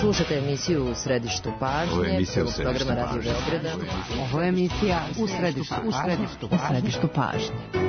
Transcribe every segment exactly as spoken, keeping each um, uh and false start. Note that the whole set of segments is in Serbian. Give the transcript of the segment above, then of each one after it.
Slušate emisiju U središtu pažnje. Ovo je emisija U središtu programa Radio Beograda. Ovo je emisija U središtu pažnje. U središtu pažnje.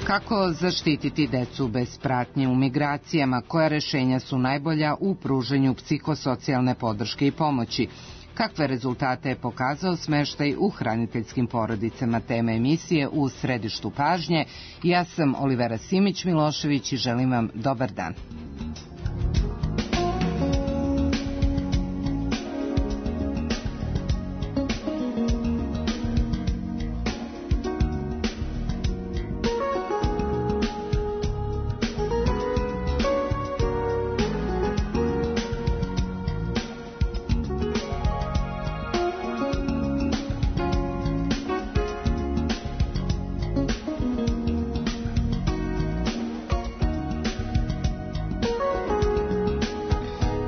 Kako zaštititi decu bez pratnje u migracijama? Koja rešenja su najbolja u pruženju psihosocijalne podrške i pomoći? Kakve rezultate je pokazao smeštaj u hraniteljskim porodicama? Tema emisije U središtu pažnje. Ja sam Olivera Simić-Milošević i želim vam dobar dan.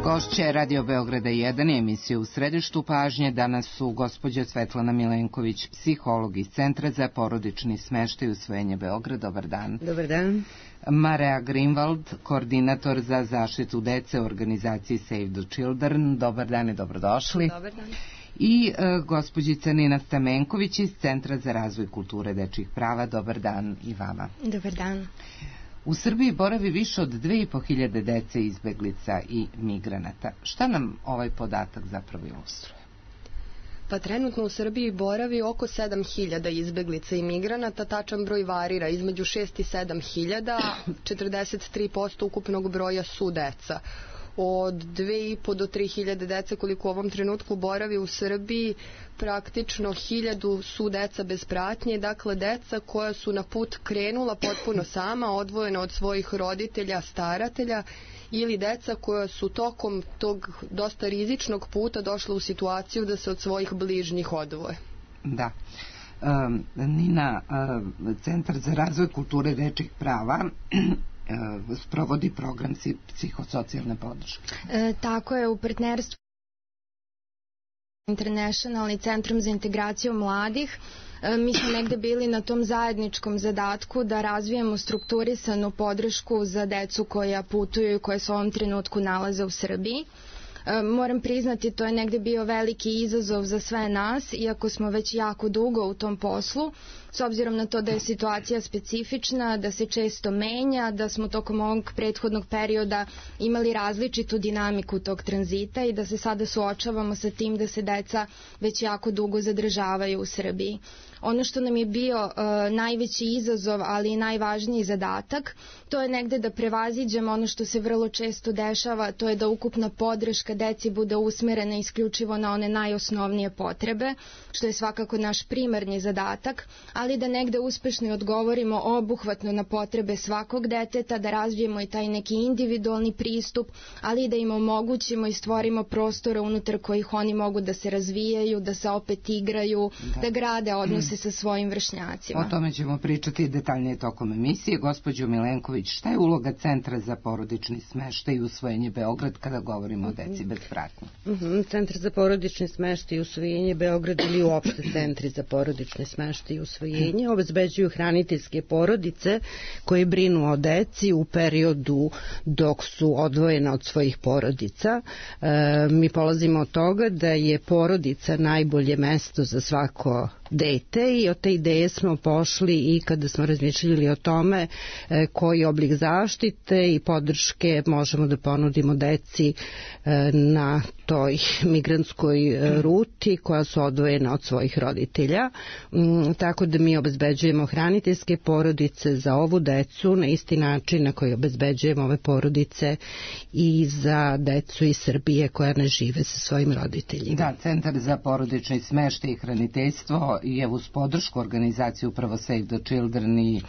Gošće Radio Beograda jedan i emisije U središtu pažnje. Danas su gospođa Svetlana Milenković, psiholog iz Centra za porodični smeštaj i usvojenje Beograd. Dobar dan. Dobar dan. Marea Greenwald, koordinator za zaštitu dece u organizaciji Save the Children. Dobar dan i dobrodošli. Dobar dan. I e, gospođica Nina Stamenković iz Centra za razvoj kulture dečjih prava. Dobar dan i vama. Dobar dan. U Srbiji boravi više od dve i po hiljade dece, izbeglica i migranata. Šta nam ovaj podatak zapravo ilustruje? Pa trenutno u Srbiji boravi oko sedam hiljada izbeglica i migranata, tačan broj varira između šest i sedam hiljada, četrdeset tri posto ukupnog broja su deca. Od dve i po do tri hiljade dece koliko u ovom trenutku boravi u Srbiji, praktično hiljadu su deca bez pratnje, dakle deca koja su na put krenula potpuno sama, odvojena od svojih roditelja, staratelja, ili deca koja su tokom tog dosta rizičnog puta došla u situaciju da se od svojih bližnjih odvoje. Da. Um, Nina, um, Centar za razvoj kulture dečjih prava sprovodi program psihosocijalne podrške. E, tako je, u partnerstvu International i Centrom za integraciju mladih. E, mi smo negde bili na tom zajedničkom zadatku da razvijemo strukturisanu podršku za decu koja putuju i koje se u ovom trenutku nalaze u Srbiji. E, moram priznati, to je negde bio veliki izazov za sve nas, iako smo već jako dugo u tom poslu, s obzirom na to da je situacija specifična, da se često menja, da smo tokom ovog prethodnog perioda imali različitu dinamiku tog tranzita i da se sada suočavamo sa tim da se deca već jako dugo zadržavaju u Srbiji. Ono što nam je bio uh, najveći izazov, ali i najvažniji zadatak, to je negde da prevaziđemo ono što se vrlo često dešava, to je da ukupna podrška deci bude usmerena isključivo na one najosnovnije potrebe, što je svakako naš primarni zadatak, ali da negde uspešno odgovorimo obuhvatno na potrebe svakog deteta, da razvijemo i taj neki individualni pristup, ali da im omogućimo i stvorimo prostore unutar kojih oni mogu da se razvijaju, da se opet igraju, da, da grade odnose sa svojim vršnjacima. O tome ćemo pričati detaljnije tokom emisije. Gospođo Milenković, šta je uloga Centra za porodični smeštaj i usvojenje Beograd kada govorimo o deci bez pratnje? Uh-huh. Centar za porodični smeštaj i usvojenje Beograd ili uopšte centri za porodični smeštaj i usvojenje posvojenja obezbeđuju hraniteljske porodice koje brinu o deci u periodu dok su odvojena od svojih porodica. E, mi polazimo od toga da je porodica najbolje mesto za svako dete i od te ideje smo pošli i kada smo razmišljali o tome e, koji oblik zaštite i podrške možemo da ponudimo deci e, na toj migrantskoj e, ruti koja su odvojena od svojih roditelja. Mm, tako da mi obezbeđujemo hraniteljske porodice za ovu decu na isti način na koji obezbeđujemo ove porodice i za decu iz Srbije koja ne žive sa svojim roditeljima. Da, Centar za porodični smeštaj i hraniteljstvo je uz podršku organizaciju upravo Save the Children i e,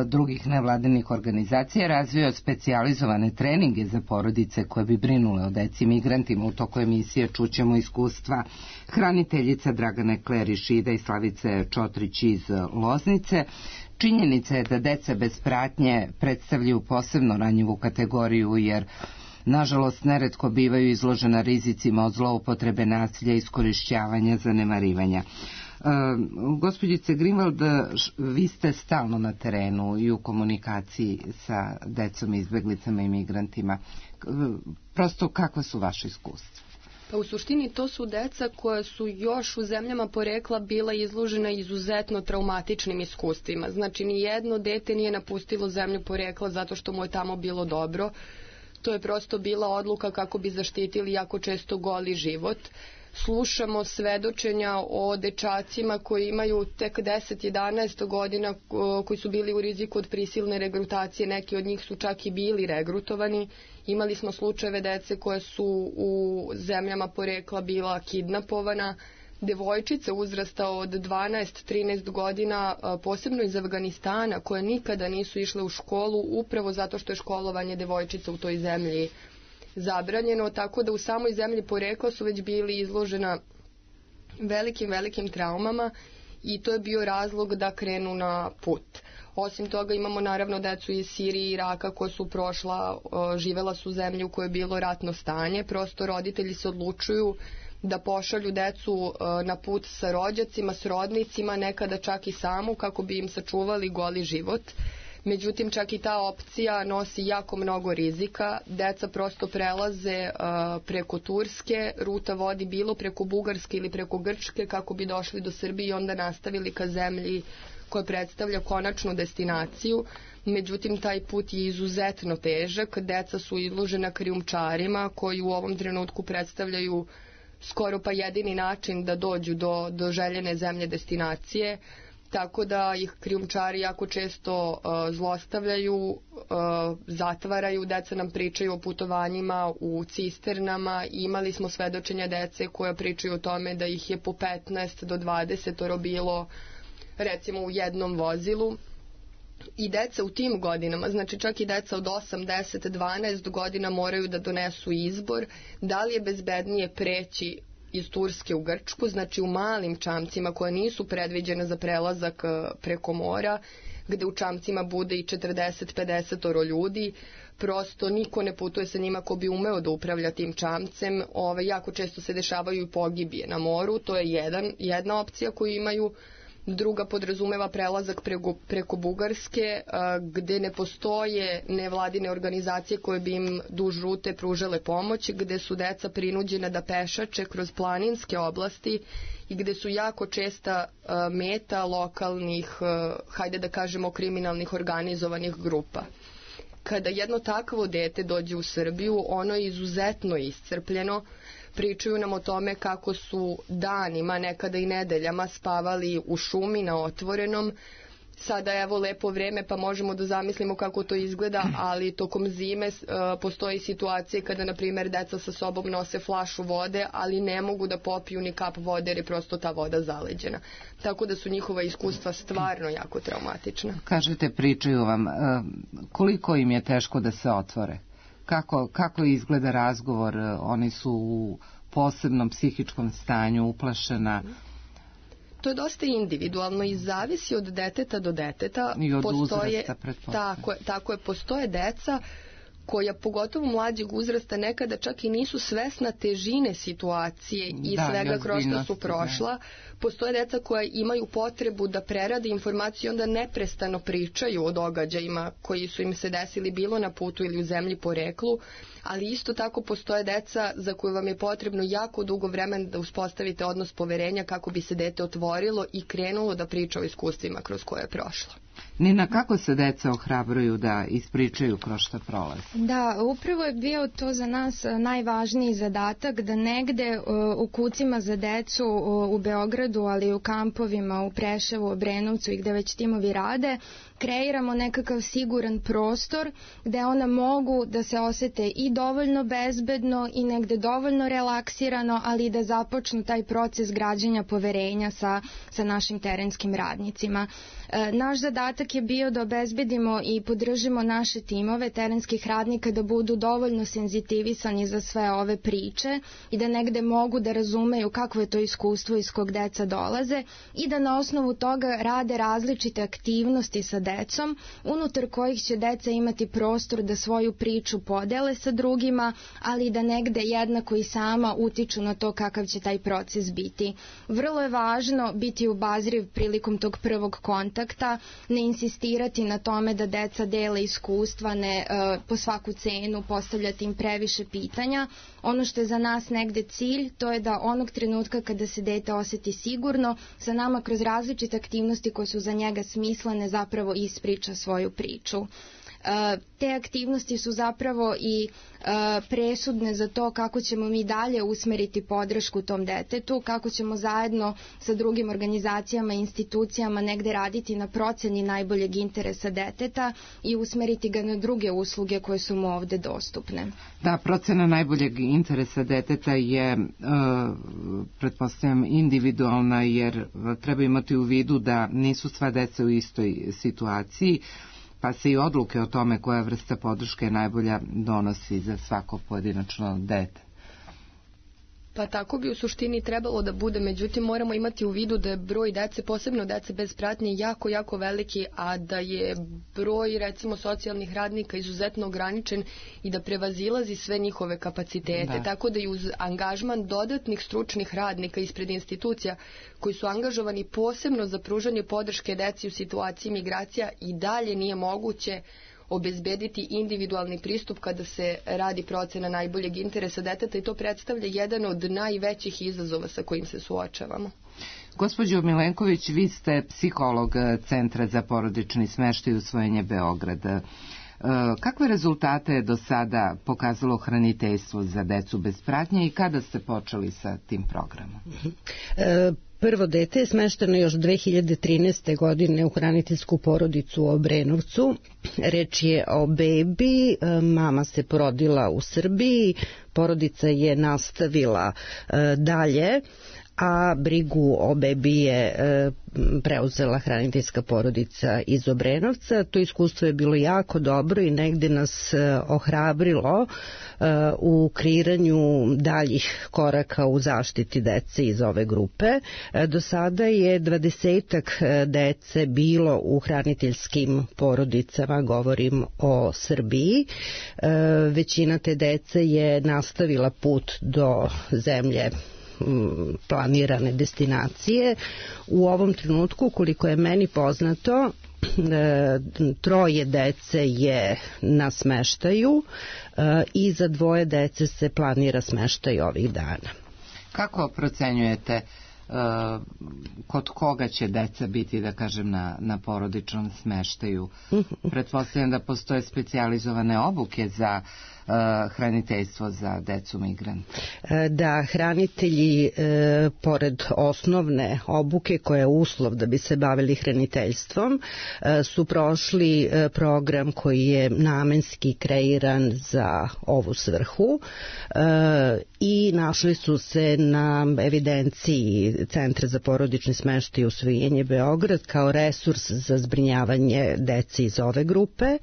drugih nevladinih organizacija razvio specijalizovane treninge za porodice koje bi brinule o deci migrantima. U toku emisije čućemo iskustva hraniteljica Dragane Klerišida i Slavice Čotrić iz Loznice. Činjenica je da deca bez pratnje predstavljaju posebno ranjivu kategoriju jer nažalost neretko bivaju izložena rizicima od zloupotrebe, nasilja, iskorišćavanja, zanemarivanja. Uh, gospođice Grimvald, vi ste stalno na terenu i u komunikaciji sa decom, izbeglicama i migrantima. Prosto, kakva su vaše iskustva? Pa u suštini to su deca koja su još u zemljama porekla bila izložena izuzetno traumatičnim iskustvima. Znači, ni jedno dete nije napustilo zemlju porekla zato što mu je tamo bilo dobro. To je prosto bila odluka kako bi zaštitili jako često goli život. Slušamo svedočenja o dečacima koji imaju tek deset jedanaest godina, koji su bili u riziku od prisilne regrutacije, neki od njih su čak i bili regrutovani. Imali smo slučajeve dece koje su u zemljama porekla bila kidnapovana, devojčice uzrasta od dvanaest trinaest godina, posebno iz Afganistana, koje nikada nisu išle u školu upravo zato što je školovanje devojčica u toj zemlji zabranjeno, tako da u samoj zemlji porekla su već bili izložena velikim, velikim traumama i to je bio razlog da krenu na put. Osim toga imamo naravno decu iz Sirije i Iraka koja su prošla, živela su u zemlji u kojoj je bilo ratno stanje, prosto roditelji se odlučuju da pošalju decu na put sa rođacima, s rodnicima, nekada čak i samu kako bi im sačuvali goli život. Međutim, čak i ta opcija nosi jako mnogo rizika. Deca prosto prelaze uh, preko Turske, ruta vodi bilo preko Bugarske ili preko Grčke kako bi došli do Srbije i onda nastavili ka zemlji koja predstavlja konačnu destinaciju. Međutim, taj put je izuzetno težak. Deca su izložena krijumčarima koji u ovom trenutku predstavljaju skoro pa jedini način da dođu do, do željene zemlje destinacije. Tako da ih krijumčari jako često uh, zlostavljaju, uh, zatvaraju, deca nam pričaju o putovanjima u cisternama, imali smo svedočenja dece koja pričaju o tome da ih je po petnaest do dvadeset bilo recimo u jednom vozilu. I deca u tim godinama, znači čak i deca od osam, deset, dvanaest godina moraju da donesu izbor da li je bezbednije preći iz Turske u Grčku, znači u malim čamcima koje nisu predviđene za prelazak preko mora, gde u čamcima bude i četrdeset do pedeset ljudi, prosto niko ne putuje sa njima ko bi umeo da upravlja tim čamcem. Ove, jako često se dešavaju i pogibije na moru, to je jedan, jedna opcija koju imaju. Druga podrazumeva prelazak preko, preko Bugarske, a, gde ne postoje nevladine organizacije koje bi im duž rute pružale pomoć, gde su deca prinuđena da pešače kroz planinske oblasti i gde su jako česta a, meta lokalnih, a, hajde da kažemo, kriminalnih organizovanih grupa. Kada jedno takvo dete dođe u Srbiju, ono je izuzetno iscrpljeno. Pričaju nam o tome kako su danima, nekada i nedeljama spavali u šumi na otvorenom. Sada evo lepo vreme pa možemo da zamislimo kako to izgleda, ali tokom zime uh, postoji situacije kada, na primjer, deca sa sobom nose flašu vode, ali ne mogu da popiju ni kap vode jer je prosto ta voda zaleđena. Tako da su njihova iskustva stvarno jako traumatična. Kažete, pričaju vam, uh, koliko im je teško da se otvore? Kako, kako izgleda razgovor? Oni su u posebnom psihičkom stanju, uplašena. To je dosta individualno i zavisi od deteta do deteta. I od postoje, uzrasta, pretpostavljam. Tako, tako je, postoje deca koja pogotovo mlađeg uzrasta nekada čak i nisu svesna težine situacije i da, svega kroz što su prošla. Postoje deca koja imaju potrebu da prerade informacije i onda neprestano pričaju o događajima koji su im se desili bilo na putu ili u zemlji poreklu, ali isto tako postoje deca za koju vam je potrebno jako dugo vremena da uspostavite odnos poverenja kako bi se dete otvorilo i krenulo da priča o iskustvima kroz koje je prošlo. Nina, kako se deca ohrabruju da ispričaju kroz šta prolaze? Da, upravo je bio to za nas najvažniji zadatak, da negde u kucima za decu u Beogradu, ali i u kampovima u Preševu, Obrenovcu i gde već timovi rade, kreiramo nekakav siguran prostor gde ona mogu da se osete i dovoljno bezbedno i negde dovoljno relaksirano, ali i da započnu taj proces građenja poverenja sa, sa našim terenskim radnicima. E, naš zadatak je bio da obezbedimo i podržimo naše timove terenskih radnika da budu dovoljno senzitivisani za sve ove priče i da negde mogu da razumeju kakvo je to iskustvo iz kog deca dolaze i da na osnovu toga rade različite aktivnosti sa decom, unutar kojih će deca imati prostor da svoju priču podele sa drugima, ali da negde jednako i sama utiču na to kakav će taj proces biti. Vrlo je važno biti obazriv prilikom tog prvog kontakta, ne insistirati na tome da deca dele iskustva, ne uh, po svaku cenu postavljati im previše pitanja. Ono što je za nas negde cilj, to je da onog trenutka kada se dete oseti sigurno, sa nama kroz različite aktivnosti koje su za njega smislene zapravo ispriča svoju priču. Te aktivnosti su zapravo i presudne za to kako ćemo mi dalje usmeriti podršku tom detetu, kako ćemo zajedno sa drugim organizacijama i institucijama negde raditi na proceni najboljeg interesa deteta i usmeriti ga na druge usluge koje su mu ovde dostupne. Da, procena najboljeg interesa deteta je, pretpostavljam, individualna, jer treba imati u vidu da nisu sva deca u istoj situaciji, pa se i odluke o tome koja vrsta podrške najbolja donosi za svako pojedinačno dete. Pa tako bi u suštini trebalo da bude, međutim moramo imati u vidu da je broj dece, posebno dece bez pratnje, jako, jako veliki, a da je broj recimo socijalnih radnika izuzetno ograničen i da prevazilazi sve njihove kapacitete. Da. Tako da i uz angažman dodatnih stručnih radnika ispred institucija koji su angažovani posebno za pružanje podrške deci u situaciji migracija i dalje nije moguće obezbediti individualni pristup kada se radi procena najboljeg interesa deteta i to predstavlja jedan od najvećih izazova sa kojim se suočavamo. Gospođo Milenković, vi ste psiholog Centra za porodični smeštaj i usvojenje Beograda. Kakve rezultate je do sada pokazalo hraniteljstvo za decu bez pratnje i kada ste počeli sa tim programom? E, Prvo dete je smešteno još dve hiljade trinaeste. godine u hraniteljsku porodicu u Obrenovcu. Reč je o bebi, mama se porodila u Srbiji, porodica je nastavila dalje, a brigu o bebi je preuzela hraniteljska porodica iz Obrenovca. To iskustvo je bilo jako dobro i negde nas ohrabrilo u kreiranju daljih koraka u zaštiti dece iz ove grupe. Do sada je dvadesetak dece bilo u hraniteljskim porodicama, govorim o Srbiji. Većina te dece je nastavila put do zemlje planirane destinacije. U ovom trenutku, koliko je meni poznato, troje dece je na smeštaju i za dvoje dece se planira smeštaj ovih dana. Kako procenjujete kod koga će deca biti, da kažem, na, na porodičnom smeštaju? Pretpostavljam da postoje specijalizovane obuke za uh, hraniteljstvo za decu migranta. Da, hranitelji e, pored osnovne obuke koja je uslov da bi se bavili hraniteljstvom e, su prošli e, program koji je namenski kreiran za ovu svrhu e, i našli su se na evidenciji Centra za porodični smeštaj i usvojenje Beograd kao resurs za zbrinjavanje dece iz ove grupe. E,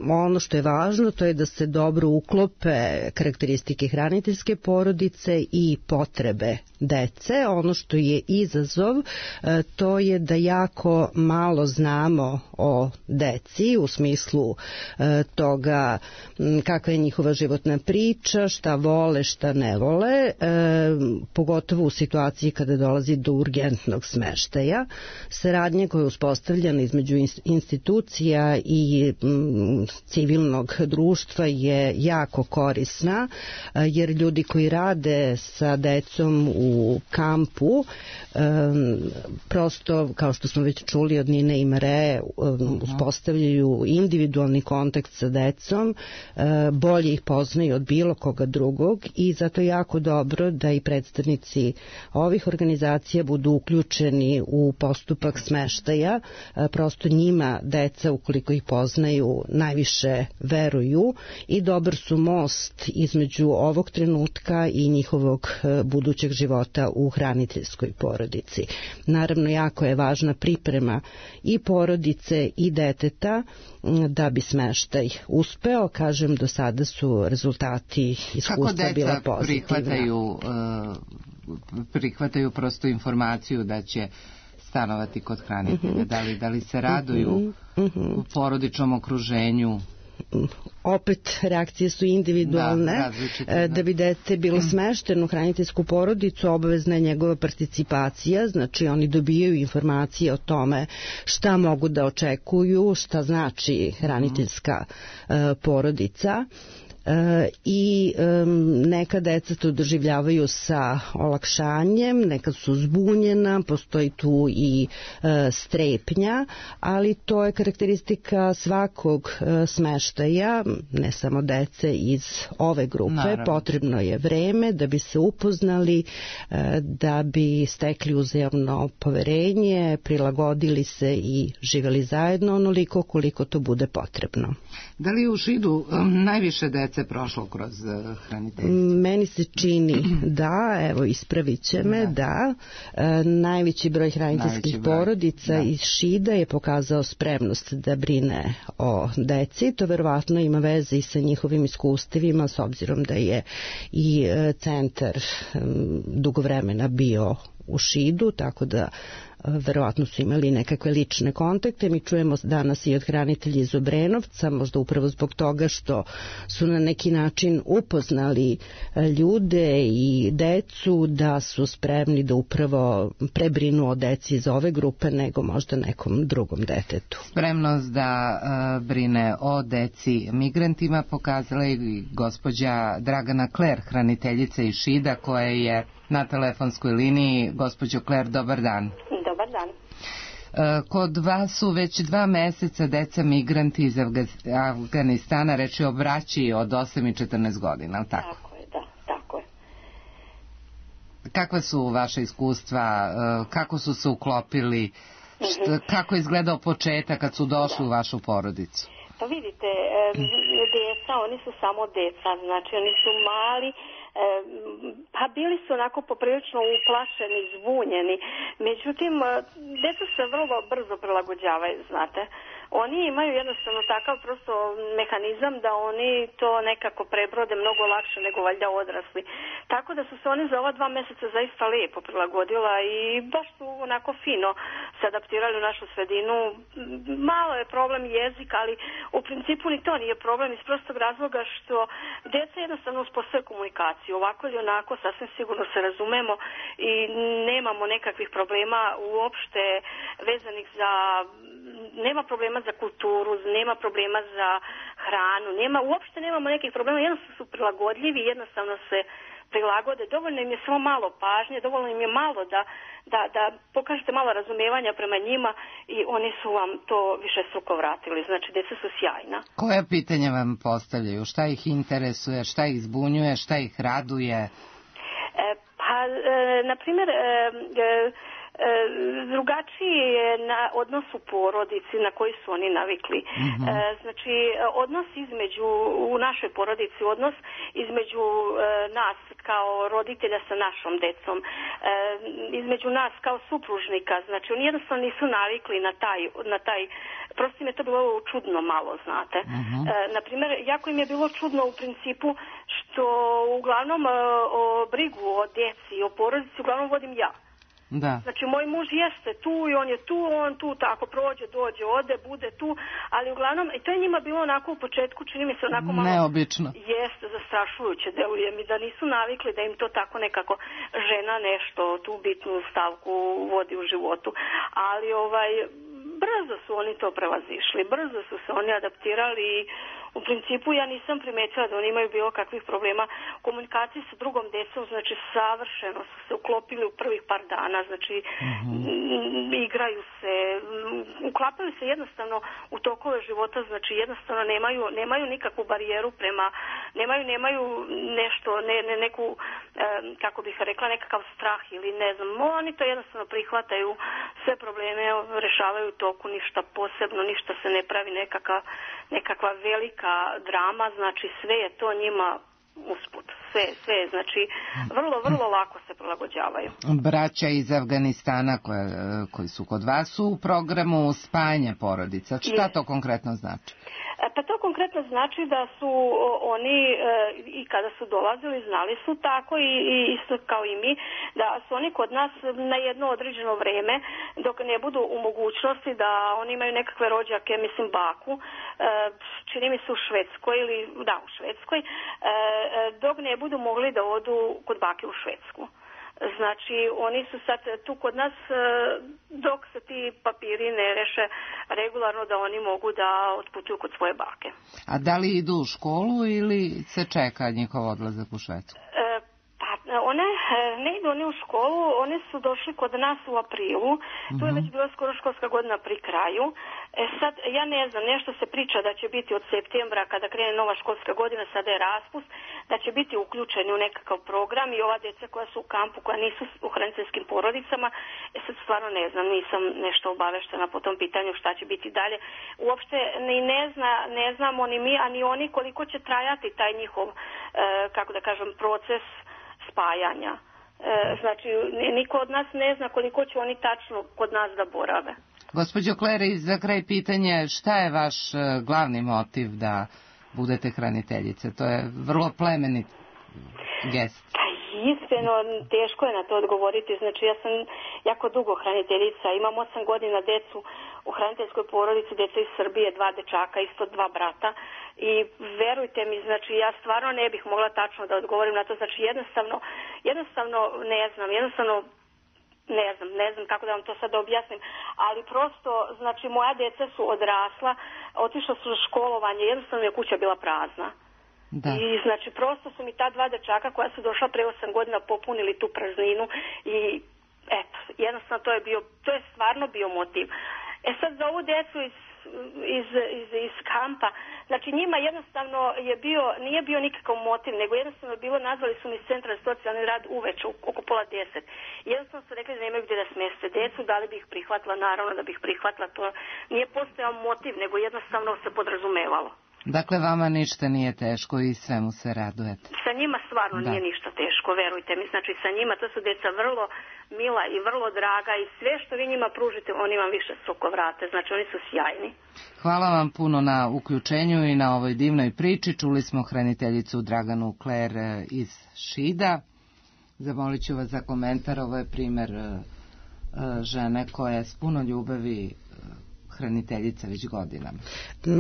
ono što je važno to je da se dobro uklope karakteristike hraniteljske porodice i potrebe dece. Ono što je izazov e, to je da jako malo znamo o deci u smislu e, toga m, kakva je njihova životna priča, šta vole, šta ne vole, e, pogotovo u situaciji kada dolazi do urgentnog smeštaja. Saradnja koja je uspostavljena između institucija i m, civilnog društva je jako korisna, e, jer ljudi koji rade sa decom u kampu um, prosto, kao što smo već čuli od Nine i Mare, um, uspostavljaju individualni kontakt sa decom, uh, bolje ih poznaju od bilo koga drugog i zato je jako dobro da i predstavnici ovih organizacija budu uključeni u postupak smeštaja. Uh, prosto njima deca, ukoliko ih poznaju, najviše veruju i dobar su most između ovog trenutka i njihovog uh, budućeg života u hraniteljskoj porodici. Naravno, jako je važna priprema i porodice i deteta da bi smeštaj uspeo. Kažem, do sada su rezultati iskustva bila pozitivna. Kako deca prihvataju, prihvataju prosto informaciju da će stanovati kod hranitelja? Mm-hmm. Da li, da li se raduju mm-hmm. u porodičnom okruženju? Opet reakcije su individualne. Da, da bi dete bilo smešteno u hraniteljsku porodicu, obavezna je njegova participacija, znači oni dobijaju informacije o tome šta mogu da očekuju, šta znači hraniteljska uh, porodica. E, i e, neka deca to doživljavaju sa olakšanjem, neka su zbunjena, postoji tu i e, strepnja, ali to je karakteristika svakog e, smeštaja, ne samo dece iz ove grupe. Naravno. Potrebno je vreme da bi se upoznali, e, da bi stekli uzajamno poverenje, prilagodili se i živeli zajedno onoliko koliko to bude potrebno. Da li u Šidu um, najviše dece prošlo kroz uh, hraniteljstvo? Meni se čini da, evo ispravit će me, da, da e, najveći broj hraniteljskih broj. porodica da. iz Šida je pokazao spremnost da brine o deci. To verovatno ima veze i sa njihovim iskustvima, s obzirom da je i e, centar e, dugo vremena bio u Šidu, tako da verovatno su imali nekakve lične kontakte. Mi čujemo danas i od hranitelja iz Obrenovca, možda upravo zbog toga što su na neki način upoznali ljude i decu, da su spremni da upravo prebrinu o deci iz ove grupe nego možda nekom drugom detetu. Spremnost da uh, brine o deci migrantima pokazala i gospođa Dragana Kler, hraniteljica iz Šida, koja je na telefonskoj liniji. Gospođo Kler, dobar dan. Dobar dan. Kod vas su već dva meseca deca migranti iz Afganistana, reči o braći od osam i četrnaest godina, ali tako? Tako je, da, tako je. Kakva su vaše iskustva, kako su se uklopili, mm-hmm. kako je izgledao početak kad su došli da. u vašu porodicu? Pa vidite, deca, oni su samo deca, znači oni su mali, E, pa bili su onako poprilično uplašeni, zbunjeni. Međutim, deca se vrlo brzo prilagođavaju, znate. Oni imaju jednostavno takav prosto mehanizam da oni to nekako prebrode mnogo lakše nego valjda odrasli. Tako da su se oni za ova dva meseca zaista lijepo prilagodila i baš su onako fino se adaptirali u našu sredinu. Malo je problem jezik, ali u principu ni to nije problem iz prostog razloga što deca jednostavno uspostavljaju komunikaciju. Ovako ili onako sasvim sigurno se razumemo i nemamo nekakvih problema uopšte vezanih za... nema problema za kulturu, nema problema za hranu, nema, uopšte nemamo nekih problema, jednostavno su prilagodljivi, jednostavno se prilagode, dovoljno im je samo malo pažnje, dovoljno im je malo da, da, da pokažete malo razumijevanja prema njima i oni su vam to više struko vratili, znači deca su sjajna. Koja pitanja vam postavljaju, šta ih interesuje, šta ih zbunjuje, šta ih raduje? E, pa, e, na primjer, e, e, drugačiji je na odnos u porodici na koji su oni navikli. Mm-hmm. E, znači, odnos između, u našoj porodici, odnos između e, nas kao roditelja sa našom decom, e, između nas kao supružnika, znači oni jednostavno nisu navikli na taj, na taj prosto im je to bilo čudno malo, znate. Mm-hmm. E, naprimjer, jako im je bilo čudno u principu što uglavnom e, o brigu o djeci i o porodici uglavnom vodim ja. Da. Znači, moj muž jeste tu i on je tu, on tu tako prođe, dođe, ode, bude tu, ali uglavnom, i to je njima bilo onako u početku, čini mi se onako malo... Neobično. Jeste, zastrašujuće deluje mi, da nisu navikli da im to tako nekako žena nešto, tu bitnu stavku vodi u životu. Ali, ovaj, brzo su oni to prevazišli, brzo su se oni adaptirali i u principu ja nisam primetila da oni imaju bilo kakvih problema u komunikaciji sa drugom decom, znači savršeno su se uklopili u prvih par dana, znači mm-hmm. igraju se, uklapaju se jednostavno u tokove života, znači jednostavno nemaju, nemaju nikakvu barijeru prema, nemaju, nemaju nešto, ne, ne, neku, eh, kako bih rekla, nekakav strah ili ne znam, oni to jednostavno prihvataju, sve probleme rešavaju u toku, ništa posebno, ništa se ne pravi nekakva, nekakva velika drama, znači sve je to njima usput, sve, sve, znači vrlo, vrlo lako se prilagođavaju. Braća iz Afganistana koje, koji su kod vas su u programu spajanja porodica, šta to konkretno znači? Pa to konkretno znači da su oni e, i kada su dolazili znali su tako i, i isto kao i mi da su oni kod nas na jedno određeno vreme dok ne budu u mogućnosti da oni imaju nekakve rođake, mislim baku, e, čini mi se u Švedskoj ili da u Švedskoj, e, dok ne budu mogli da odu kod bake u Švedsku. Znači, oni su sad tu kod nas dok se ti papiri ne reše regularno da oni mogu da otputuju kod svoje bake. A da li idu u školu ili se čeka njihov odlazak u Švedsku? E, pa, one ne idu oni u školu, one su došli kod nas u aprilu, mm-hmm. tu je već bila skoro školska godina pri kraju. E sad, ja ne znam, nešto se priča da će biti od septembra kada krene nova školska godina, sada je raspust, da će biti uključeni u nekakav program i ova djeca koja su u kampu, koja nisu u hraniteljskim porodicama, e sad stvarno ne znam, nisam nešto obaveštena po tom pitanju šta će biti dalje. Uopšte ni ne zna, ne znamo ni mi, a ni oni koliko će trajati taj njihov, e, kako da kažem, proces spajanja. E, znači, niko od nas ne zna koliko će oni tačno kod nas da borave. Gospođo Klere, za kraj pitanje, šta je vaš glavni motiv da budete hraniteljice? To je vrlo plemenit gest. Pa iskreno, teško je na to odgovoriti. Znači, ja sam jako dugo hraniteljica. Imam osam godina decu u hraniteljskoj porodici, deca iz Srbije, dva dečaka, isto dva brata. I verujte mi, znači, ja stvarno ne bih mogla tačno da odgovorim na to. Znači, jednostavno, jednostavno ne znam, jednostavno ne znam, ne znam kako da vam to sad objasnim, ali prosto, znači, moja deca su odrasla, otišla su u školovanje, jednostavno je kuća bila prazna. Da. I znači, prosto su mi ta dva dečaka koja su došla pre osam godina popunili tu prazninu i eto, jednostavno to je bio, to je stvarno bio motiv. E sad za ovu decu iz Iz, iz, iz kampa, znači njima jednostavno je bio, nije bio nikakav motiv, nego jednostavno je bilo, nazvali su mi iz centra za socijalni rad uveče, oko pola deset. Jednostavno su rekli da nemaju gdje da smjeste decu, da li bi ih prihvatila, naravno da bi ih prihvatila, to nije postojao motiv, nego jednostavno se podrazumevalo. Dakle, vama ništa nije teško i svemu se radujete. Sa njima stvarno da. Nije ništa teško, verujte mi. Znači, sa njima to su deca vrlo mila i vrlo draga i sve što vi njima pružite, oni vam više suko vrate. Znači, oni su sjajni. Hvala vam puno na uključenju i na ovoj divnoj priči. Čuli smo hraniteljicu Draganu Kler iz Šida. Zamolit ću vas za komentar. Ovo je primer žene koja je s puno ljubavi hraniteljica već godinama.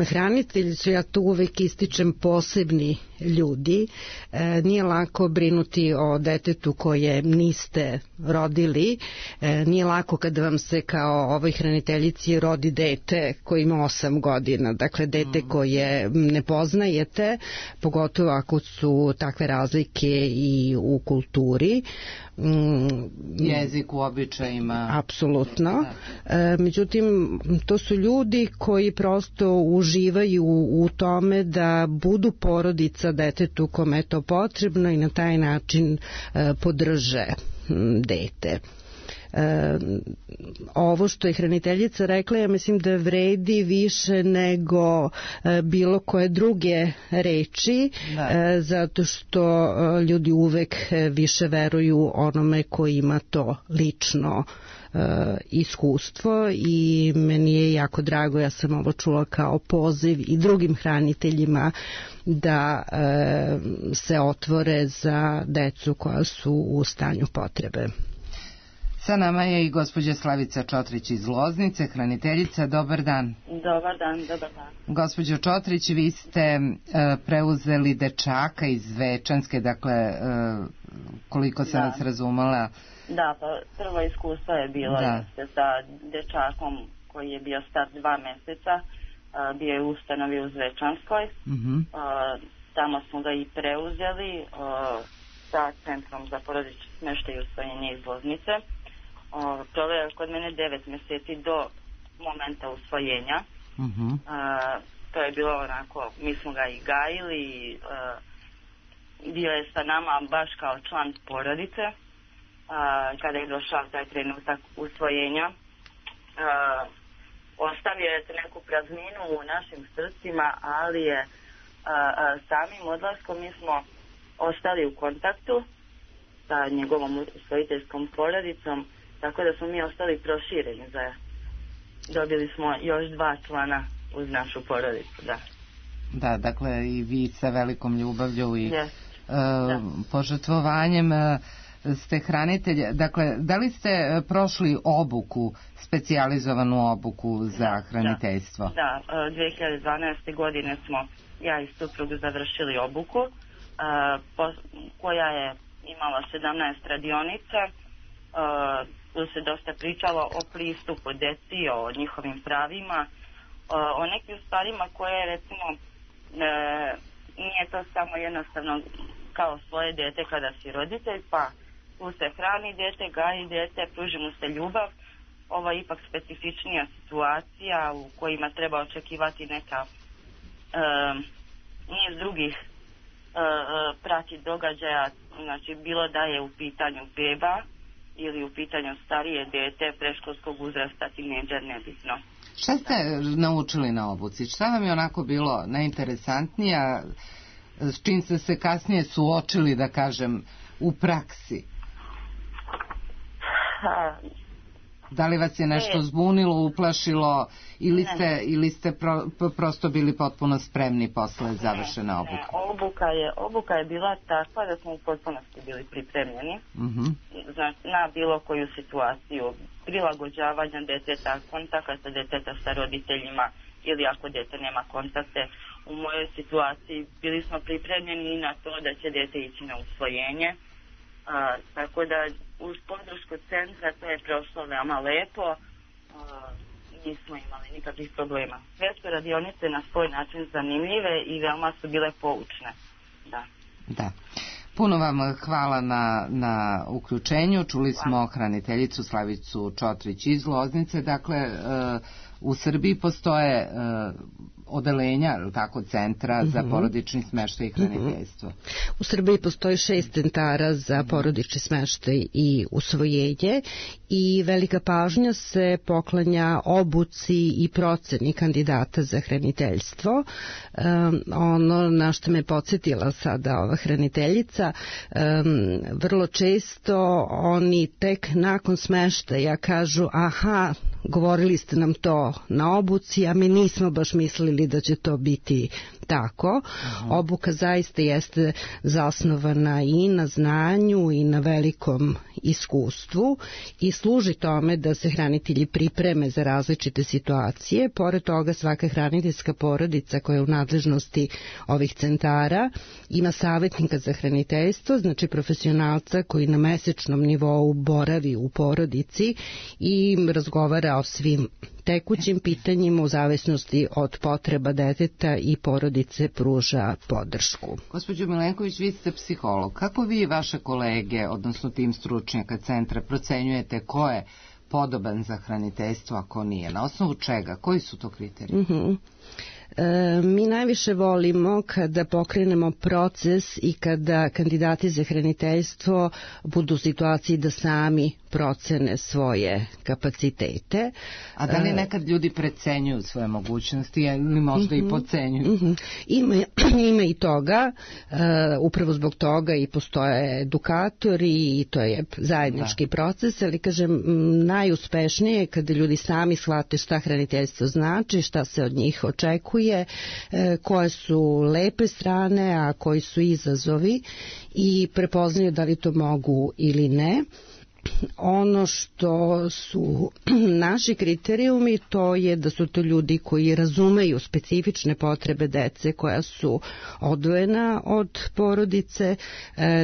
Hranitelji su, ja tu uvek ističem, posebni ljudi. E, nije lako brinuti o detetu koje niste rodili. E, nije lako kada vam se kao ovoj hraniteljici rodi dete koje ima osam godina. Dakle, dete mm. koje ne poznajete, pogotovo ako su takve razlike i u kulturi. Mm, jezik u običajima. Apsolutno. E, međutim, to su ljudi koji prosto uživaju u tome da budu porodica detetu kome je to potrebno i na taj način e, podrže m, dete. E, ovo što je hraniteljica rekla, ja mislim da vredi više nego e, bilo koje druge reči, e, zato što e, ljudi uvek više veruju onome koji ima to lično iskustvo i meni je jako drago, ja sam ovo čula kao poziv i drugim hraniteljima da e, se otvore za decu koja su u stanju potrebe. Sa nama je i gospođa Slavica Čotrić iz Loznice, hraniteljica. Dobar dan. Dobar dan, dobar dan. Gospođo Čotrić, vi ste e, preuzeli dečaka iz Zvečanske, dakle, e, koliko sam da. vas razumela. Da, pa prvo iskustvo je bilo da. sa dečakom koji je bio star dva meseca, a, bio je u ustanovi u Zvečanskoj. Uh-huh. A, tamo smo ga i preuzeli a, sa Centrom za porodični smeštaj i usvojenje iz Loznice. Proveo je kod mene devet meseci do momenta usvojenja. Uh-huh. A, to je bilo onako, mi smo ga i gajili, a, bio je sa nama baš kao član porodice. A, kada je došao taj trenutak usvojenja, a, ostavio je neku prazninu u našim srcima, ali je a, a, samim odlaskom mi smo ostali u kontaktu sa njegovom usvojiteljskom porodicom, tako da smo mi ostali prošireni. Za, dobili smo još dva člana uz našu porodicu, da. Da, dakle i vi sa velikom ljubavlju i yes. uh, požrtvovanjem uh, ste hranitelj. Dakle, da li ste prošli obuku, specijalizovanu obuku za hraniteljstvo? Da, da, dve hiljade dvanaeste. godine smo ja i suprug završili obuku uh, po, koja je imala sedamnaest radionica. Uh, tu se dosta pričalo o pristupu deci, o njihovim pravima, uh, o nekim stvarima koje recimo uh, nije to samo jednostavno kao svoje dete kada si roditelj, pa tu se hrani dete, gaji dete, pruži mu se ljubav. Ovo je ipak specifičnija situacija u kojima treba očekivati neka uh, niz drugih uh, prati događaja, znači bilo da je u pitanju beba ili u pitanju starije dete, predškolskog uzrasta, tinejdžer, nebitno. Šta ste naučili na obuci? Šta vam je onako bilo najinteresantnija, s čim ste se kasnije suočili, da kažem, u praksi? Ha. Da li vas je nešto zbunilo, uplašilo ili ste, ili ste pro, prosto bili potpuno spremni posle završene obuke? Ne, obuka je, obuka je bila takva da smo u potpunosti bili pripremljeni uh-huh. znači, na bilo koju situaciju prilagođavanja deteta, kontakta deteta sa roditeljima ili ako dete nema kontakte. U mojoj situaciji bili smo pripremljeni i na to da će dete ići na usvojenje. A, tako da uz podršku centra to je prošlo veoma lepo, a, nismo imali nikakvih problema. Sve su radionice na svoj način zanimljive i veoma su bile poučne. Da. Da. Puno vam hvala na, na uključenju. Čuli smo hraniteljicu Slavicu Čotrić iz Loznice. Dakle, e, u Srbiji postoje e, odelenja, tako, centra mm-hmm. za porodični smeštaj i hraniteljstvo. Mm-hmm. U Srbiji postoji šest centara za porodični smeštaj i usvojenje i velika pažnja se poklanja obuci i proceni kandidata za hraniteljstvo. Um, ono na što me podsjetila sada ova hraniteljica, um, vrlo često oni tek nakon smeštaja kažu aha, govorili ste nam to na obuci, a mi nismo baš mislili da će to biti tako. Aha. Obuka zaista jeste zasnovana i na znanju i na velikom iskustvu i služi tome da se hranitelji pripreme za različite situacije. Pored toga, svaka hraniteljska porodica koja je u nadležnosti ovih centara ima savjetnika za hraniteljstvo, znači profesionalca koji na mesečnom nivou boravi u porodici i razgovara o svim tekućim pitanjima u zavisnosti od potreba deteta i porodice pruža podršku. Gospođo Milenković, vi ste psiholog. Kako vi i vaše kolege, odnosno tim stručnjaka centra, procenjujete ko je podoban za hraniteljstvo, a ko nije? Na osnovu čega? Koji su to kriteriji? Mhm. E, mi najviše volimo kada pokrenemo proces i kada kandidati za hraniteljstvo budu u situaciji da sami procene svoje kapacitete. A da li nekad ljudi precenjuju svoje mogućnosti ili možda mm-hmm. i podcenjuju? Mm-hmm. Ima, ima i toga, uh, upravo zbog toga i postoje edukatori i to je zajednički da. proces, ali kažem, najuspešnije je kada ljudi sami shvate šta hraniteljstvo znači, šta se od njih očekuje, uh, koje su lepe strane, a koji su izazovi i prepoznaju da li to mogu ili ne. Ono što su naši kriterijumi, to je da su to ljudi koji razumeju specifične potrebe dece koja su odvojena od porodice,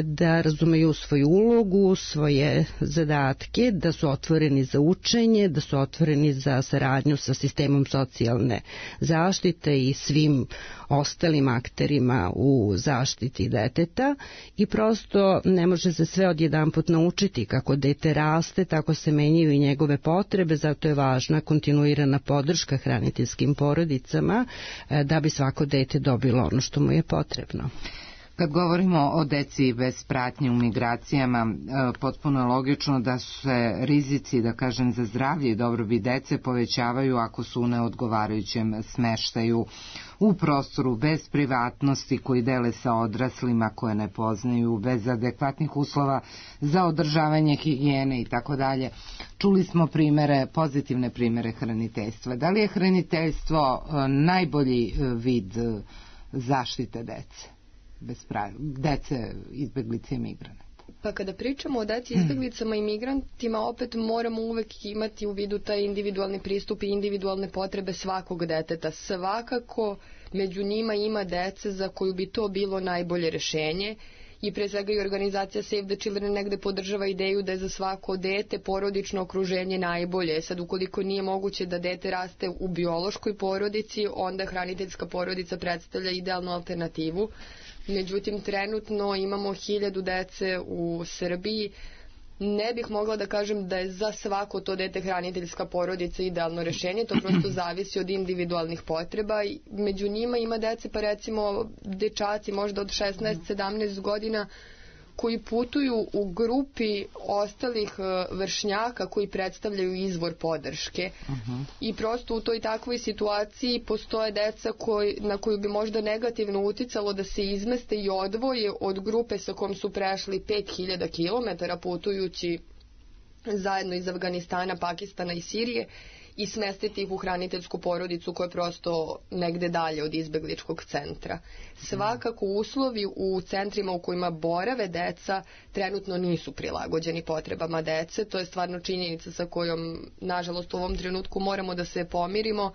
da razumeju svoju ulogu, svoje zadatke, da su otvoreni za učenje, da su otvoreni za saradnju sa sistemom socijalne zaštite i svim ostalim akterima u zaštiti deteta i prosto ne može se sve odjedanput naučiti. Kako dete raste, tako se menjaju i njegove potrebe, zato je važna kontinuirana podrška hraniteljskim porodicama da bi svako dete dobilo ono što mu je potrebno. Kad govorimo o deci bez pratnje u migracijama, potpuno je logično da se rizici, da kažem, za zdravlje i dobrobit dece povećavaju ako su u neodgovarajućem smeštaju u prostoru bez privatnosti koji dele sa odraslima koje ne poznaju, bez adekvatnih uslova za održavanje higijene i tako dalje. Čuli smo primere, pozitivne primere hraniteljstva. Da li je hraniteljstvo najbolji vid zaštite dece? Bez pravi, dece, izbeglice i migranata. Pa kada pričamo o deci, izbeglicama i migrantima, opet moramo uvek imati u vidu taj individualni pristup i individualne potrebe svakog deteta. Svakako među njima ima dece za koju bi to bilo najbolje rešenje i pre svega i organizacija Save the Children negde podržava ideju da je za svako dete porodično okruženje najbolje. Sad, ukoliko nije moguće da dete raste u biološkoj porodici, onda hraniteljska porodica predstavlja idealnu alternativu. Međutim, trenutno imamo hiljadu dece u Srbiji. Ne bih mogla da kažem da je za svako to dete hraniteljska porodica idealno rešenje, to prosto zavisi od individualnih potreba. Među njima ima dece, pa recimo dečaci možda od šesnaest sedamnaest godina, koji putuju u grupi ostalih vršnjaka koji predstavljaju izvor podrške. Uh-huh. I prosto u toj takvoj situaciji postoje deca koji, na koju bi možda negativno uticalo da se izmeste i odvoje od grupe sa kojom su prešli pet hiljada kilometara putujući zajedno iz Afganistana, Pakistana i Sirije i smestiti ih u hraniteljsku porodicu koja je prosto negde dalje od izbegličkog centra. Svakako uslovi u centrima u kojima borave deca trenutno nisu prilagođeni potrebama dece. To je stvarno činjenica sa kojom, nažalost, u ovom trenutku moramo da se pomirimo. Uh,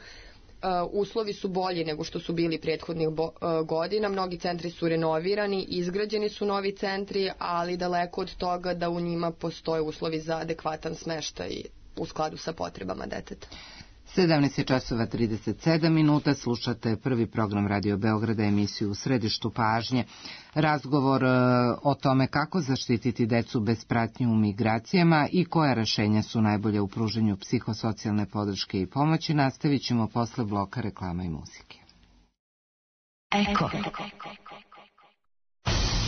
uslovi su bolji nego što su bili prethodnih bo, uh, godina. Mnogi centri su renovirani, izgrađeni su novi centri, ali daleko od toga da u njima postoje uslovi za adekvatan smeštaj u skladu sa potrebama deteta. sedamnaest časova trideset sedam minuta, slušate prvi program Radio Beograda, emisiju U središtu pažnje. Razgovor o tome kako zaštititi decu bez pratnje u migracijama i koja rešenja su najbolje u pruženju psihosocijalne podrške i pomoći nastavit ćemo posle bloka reklama i muzike. Eko.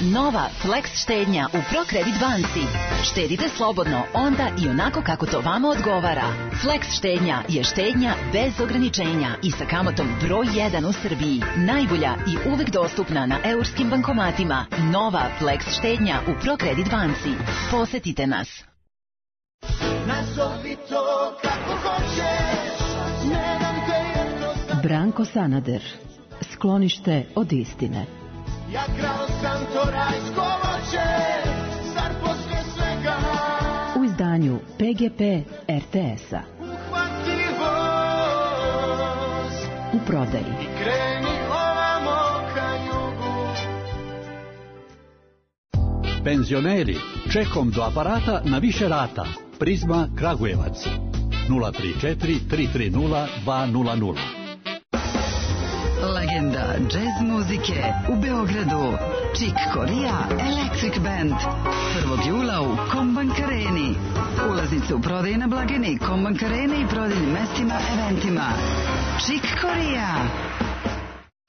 Nova Flex štednja u ProCredit banci. Štedite slobodno onda i onako kako to vama odgovara. Flex štednja je štednja bez ograničenja i sa kamatom broj jedan u Srbiji. Najbolja i uvek dostupna na eurskim bankomatima. Nova Flex štednja u ProCredit banci. Posetite nas. Nazovi to kako hoćeš, ne dam te jednostavno. Branko Sanader. Sklonište od istine. Ja krao sam to rajsko voće, zar posle svega u izdanju P G P R T S-a. Uhvati voz u prodaji i kreni ovamo ka jugu. Penzioneri, čekom do aparata na više rata. Prizma Kragujevac nula tri četiri tri tri nula dva nula nula. Legenda džez muzike u Beogradu. Chick Corea Electric Band. prvog jula u Kombank Areni. Ulaznice u prodaji na blagajni Kombank Areni i prodajnim mestima, eventima. Chick Corea.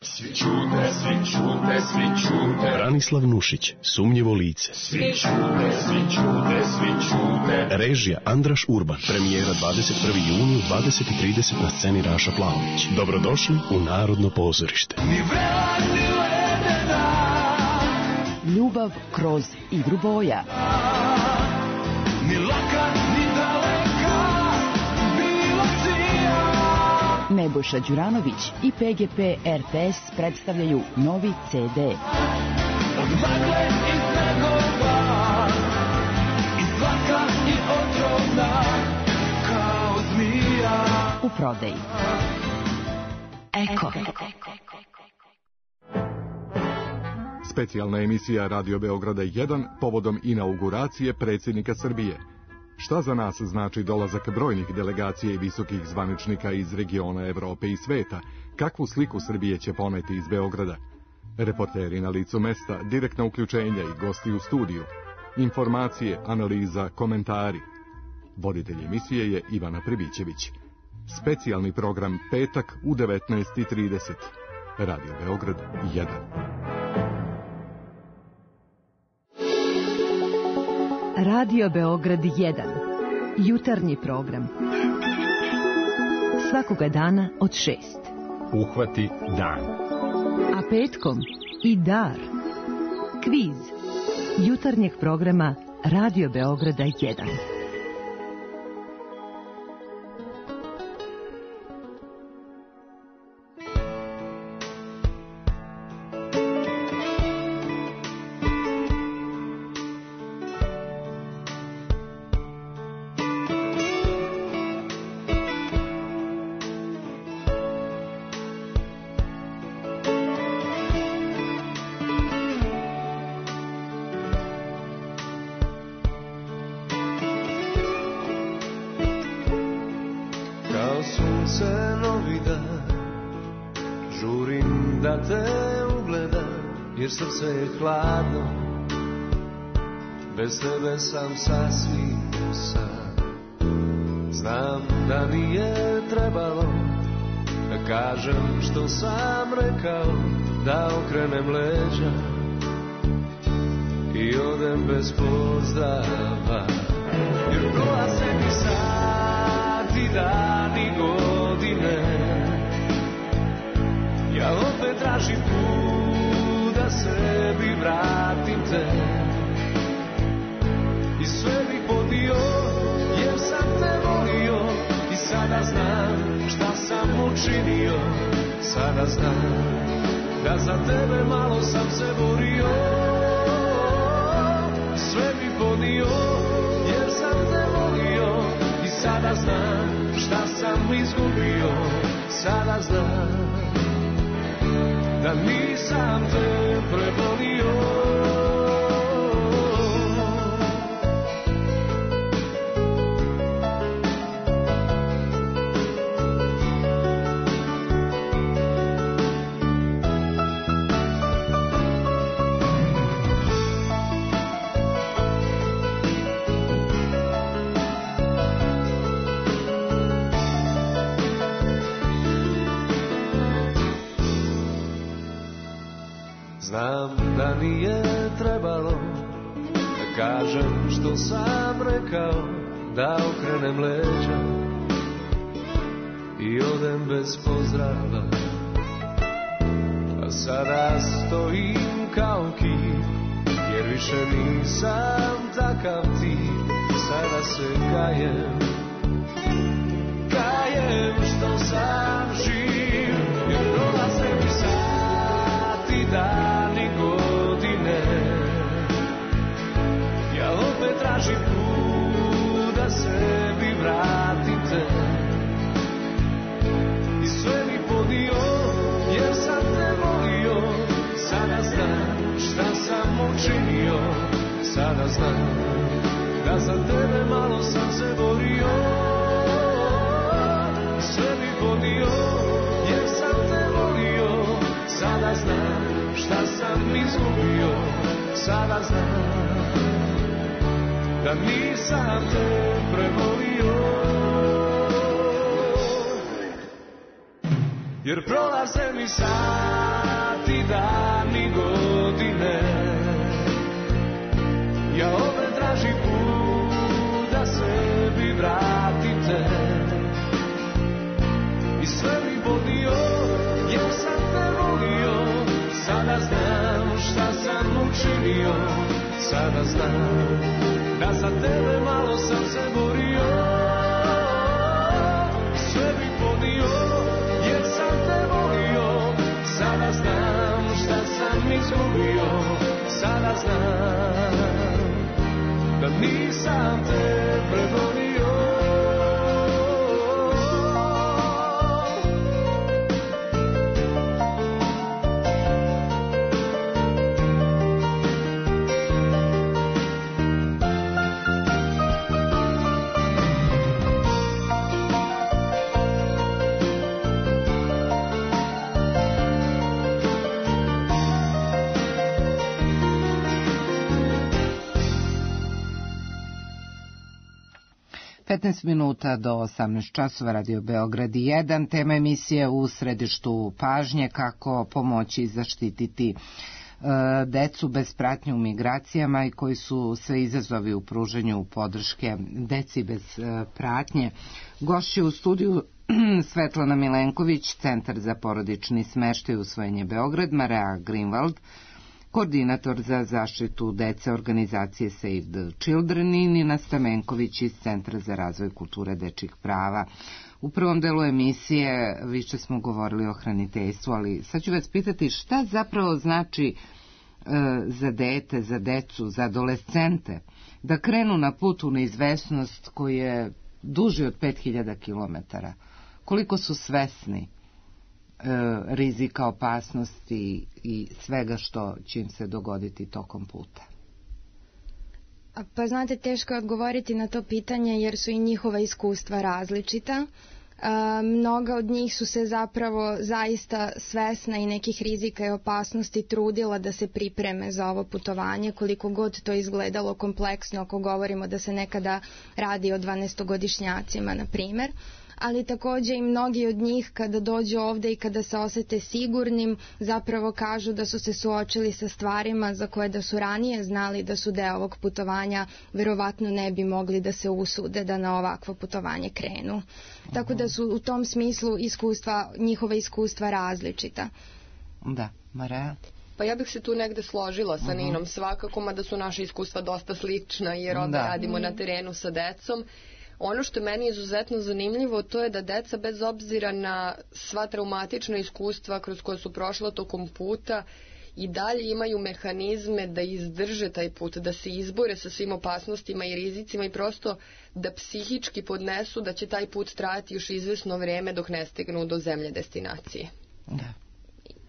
Svi čute, svi čute, svi čute. Branislav Nušić, Sumnjivo lice. Svi čute, svi čute, svi čute. Režija Andraš Urban. Premijera dvadeset prvi juni u dvadeset i trideset na sceni Raša Plavović. Dobrodošli u Narodno pozorište. Ni vrela, ni ledena. Ljubav kroz igru boja. Ni laka, ni daleka, bilo čija. Nebojša Đuranović i P G P R T S predstavljaju novi C D. Od magle i snegova, i slatka i otrovna, kao zmija. U prodaji. Eko. Specijalna emisija Radio Beograda jedan povodom inauguracije predsjednika Srbije. Šta za nas znači dolazak brojnih delegacija i visokih zvaničnika iz regiona Evrope i sveta? Kakvu sliku Srbije će poneti iz Beograda? Reporteri na licu mesta, direktna uključenja i gosti u studiju. Informacije, analiza, komentari. Voditelj emisije je Ivana Pribićević. Specijalni program petak u devetnaest i trideset. Radio Beograd jedan. Radio Beograd jedan. Jutarnji program. Svakoga dana od šest. Uhvati dan. A petkom i dar. Kviz. Jutarnjeg programa Radio Beograda jedan. Srce je hladno, bez tebe sam sasvim sam. Znam da nije trebalo da kažem što sam rekao, da okrenem leđa i odem bez pozdrava. Jer prolaze mi sati, dani, godine, ja opet tražim put da sebi vratim te i sve bih podio jer sam te volio i sada znam šta sam učinio, sada znam da za tebe malo sam se borio, sve bih podio jer sam te volio i sada znam šta sam izgubio, sada znam da nisam te prebolio. Znam da nije trebalo da kažem što sam rekao, da okrenem leđa i odem bez pozdrava. A sada stojim kao kip, jer više nisam takav tip. Sada se kajem, kajem što sam živ, jer dolaze mi sati, dani, godine. Ja opet tražim put da sebi vratim te i sve mi podio, jer sam te volio. Sada znam šta sam učinio, sada znam da za tebe malo sam se borio. Sve mi podio, jer sam te volio. Sada znam šta sam izgubio, sada znam da nisam te prevolio. jer prolaze mi sati, dani, godine. Ja opet tražim put da sebi vratim te. I sve mi bolio, jer sam te volio. Sada znam šta sam učinio. Sada znam da za tebe malo sam se borio. Sve mi podnio, jer sam te volio. Sada znam šta sam izgubio. Sada znam da nisam te pregonio. petnaest minuta do osamnaest časova, Radio Beograd jedan, tema emisije U središtu pažnje, kako pomoći i zaštititi e, decu bez pratnje u migracijama i koji su sve izazovi u pruženju podrške deci bez e, pratnje. Gošće u studiju Svetlana Milenković, Centar za porodični smeštaj i usvojenje Beograd, Mareja Greenwald, koordinator za zaštitu dece organizacije Save the Children, i Nina Stamenković iz Centra za razvoj kulture dečjih prava. U prvom delu emisije više smo govorili o hraniteljstvu, ali sad ću vas pitati šta zapravo znači e, za dete, za decu, za adolescente da krenu na put u neizvesnost koji je duži od pet hiljada kilometara. Koliko su svesni rizika, opasnosti i svega što će im se dogoditi tokom puta? Pa znate, teško je odgovoriti na to pitanje jer su i njihova iskustva različita. E, mnoga od njih su se zapravo zaista svesna i nekih rizika i opasnosti trudila da se pripreme za ovo putovanje, koliko god to izgledalo kompleksno ako govorimo da se nekada radi o dvanaestogodišnjacima, na primjer. Ali takođe i mnogi od njih kada dođu ovde i kada se osete sigurnim zapravo kažu da su se suočili sa stvarima za koje da su ranije znali da su deo ovog putovanja verovatno ne bi mogli da se usude da na ovakvo putovanje krenu. Tako da su u tom smislu iskustva, njihova iskustva različita. Da, Mareja? Pa ja bih se tu negde složila sa Ninom svakako, mada su naše iskustva dosta slična jer onda radimo na terenu sa decom. Ono što je meni izuzetno zanimljivo to je da deca bez obzira na sva traumatična iskustva kroz koje su prošla tokom puta i dalje imaju mehanizme da izdrže taj put, da se izbore sa svim opasnostima i rizicima i prosto da psihički podnesu da će taj put trajati još izvesno vreme dok ne stignu do zemlje destinacije. Da.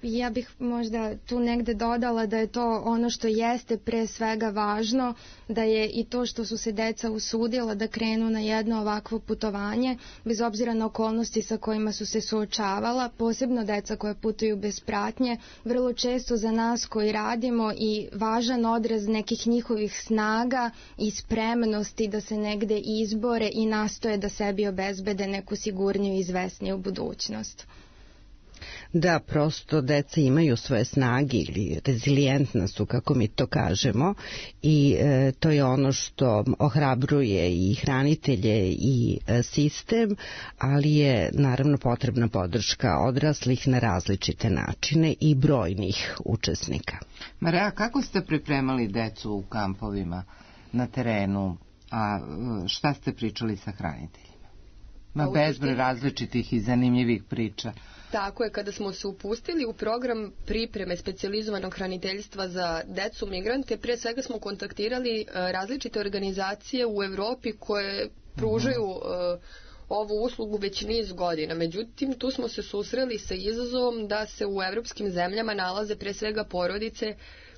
Ja bih možda tu negde dodala da je to ono što jeste pre svega važno, da je i to što su se deca usudila da krenu na jedno ovakvo putovanje, bez obzira na okolnosti sa kojima su se suočavala, posebno deca koje putuju bez pratnje, vrlo često za nas koji radimo i važan odraz nekih njihovih snaga i spremnosti da se negde izbore i nastoje da sebi obezbede neku sigurniju i izvesniju budućnost. Da, prosto deca imaju svoje snage ili rezilijentna su, kako mi to kažemo, i e, to je ono što ohrabruje i hranitelje i e, sistem, ali je naravno potrebna podrška odraslih na različite načine i brojnih učesnika. Mareja, kako ste pripremali decu u kampovima na terenu, a šta ste pričali sa hraniteljima? Ma bezbroj različitih i zanimljivih priča. Tako je, kada smo se upustili u program pripreme specijalizovanog hraniteljstva za decu migrante, pre svega smo kontaktirali različite organizacije u Evropi koje pružaju uh, ovu uslugu već niz godina. Međutim, tu smo se susreli sa izazovom da se u evropskim zemljama nalaze pre svega porodice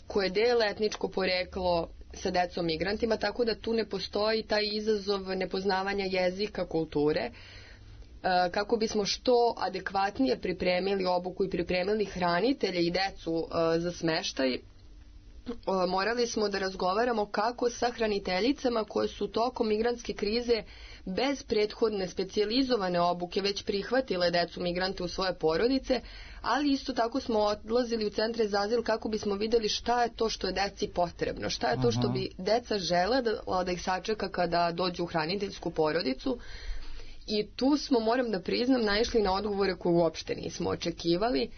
koje dele etničko poreklo sa decom migrantima, tako da tu ne postoji taj izazov nepoznavanja jezika, kulture. Kako bismo što adekvatnije pripremili obuku i pripremili hranitelje i decu za smeštaj, morali smo da razgovaramo kako sa hraniteljicama koje su tokom migrantske krize bez prethodne specijalizovane obuke već prihvatile decu migrante u svoje porodice, ali isto tako smo odlazili u centre za azil kako bismo videli šta je to što je deci potrebno, šta je to što bi deca žele da, da ih sačeka kada dođu u hraniteljsku porodicu. I tu smo, moram da priznam, naišli na odgovore koje uopšte nismo očekivali.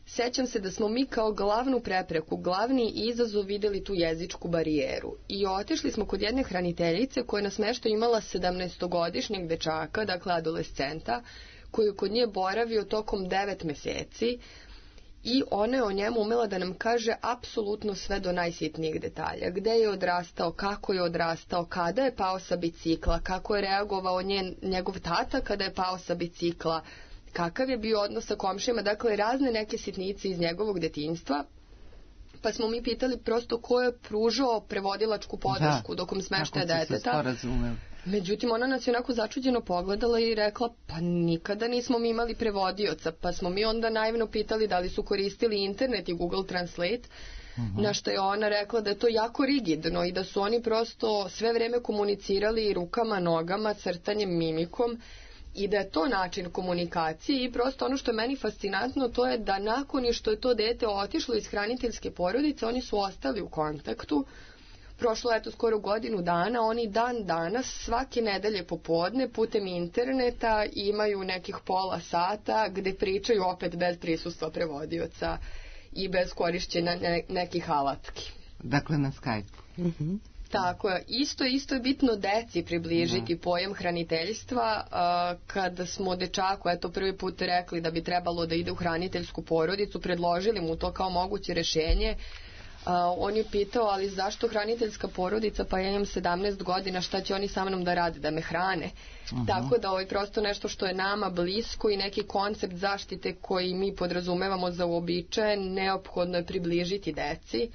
Sećam se da smo mi kao glavnu prepreku, glavni izazov videli tu jezičku barijeru. I otišli smo kod jedne hraniteljice koja je na smeštaju imala sedamnaestogodišnjeg dečaka, dakle adolescenta, koji je kod nje boravio tokom devet meseci i ona je o njemu umela da nam kaže apsolutno sve do najsitnijeg detalja. Gde je odrastao, kako je odrastao, kada je pao sa bicikla, kako je reagovao njen, njegov tata kada je pao sa bicikla, kakav je bio odnos sa komšijama, dakle razne neke sitnice iz njegovog detinjstva. Pa smo mi pitali prosto ko je pružao prevodilačku podršku dokom smeštaja deteta. Međutim, ona nas je onako začuđeno pogledala i rekla, pa nikada nismo mi imali prevodioca. Pa smo mi onda naivno pitali da li su koristili internet i Google Translate, uh-huh. na što je ona rekla da je to jako rigidno i da su oni prosto sve vreme komunicirali rukama, nogama, crtanjem, mimikom, i da je to način komunikacije. I prosto ono što je meni fascinantno to je da nakon što je to dete otišlo iz hraniteljske porodice, oni su ostali u kontaktu. Prošlo je to skoro godinu dana, oni dan danas svake nedelje popodne putem interneta imaju nekih pola sata gde pričaju opet bez prisustva prevodioca i bez korišćenja ne, nekih alatki. Dakle na Skype. Mhm. Tako je. Isto, isto je bitno deci približiti da. pojam hraniteljstva. Kada smo dečaku eto prvi put rekli da bi trebalo da ide u hraniteljsku porodicu, predložili mu to kao moguće rešenje, on je pitao, ali zašto hraniteljska porodica, pa ja imam sedamnaest godina, šta će oni sa mnom da rade, da me hrane? Uh-huh. Tako da ovo je prosto nešto što je nama blisko i neki koncept zaštite koji mi podrazumevamo za uobičajen, neophodno je približiti deci.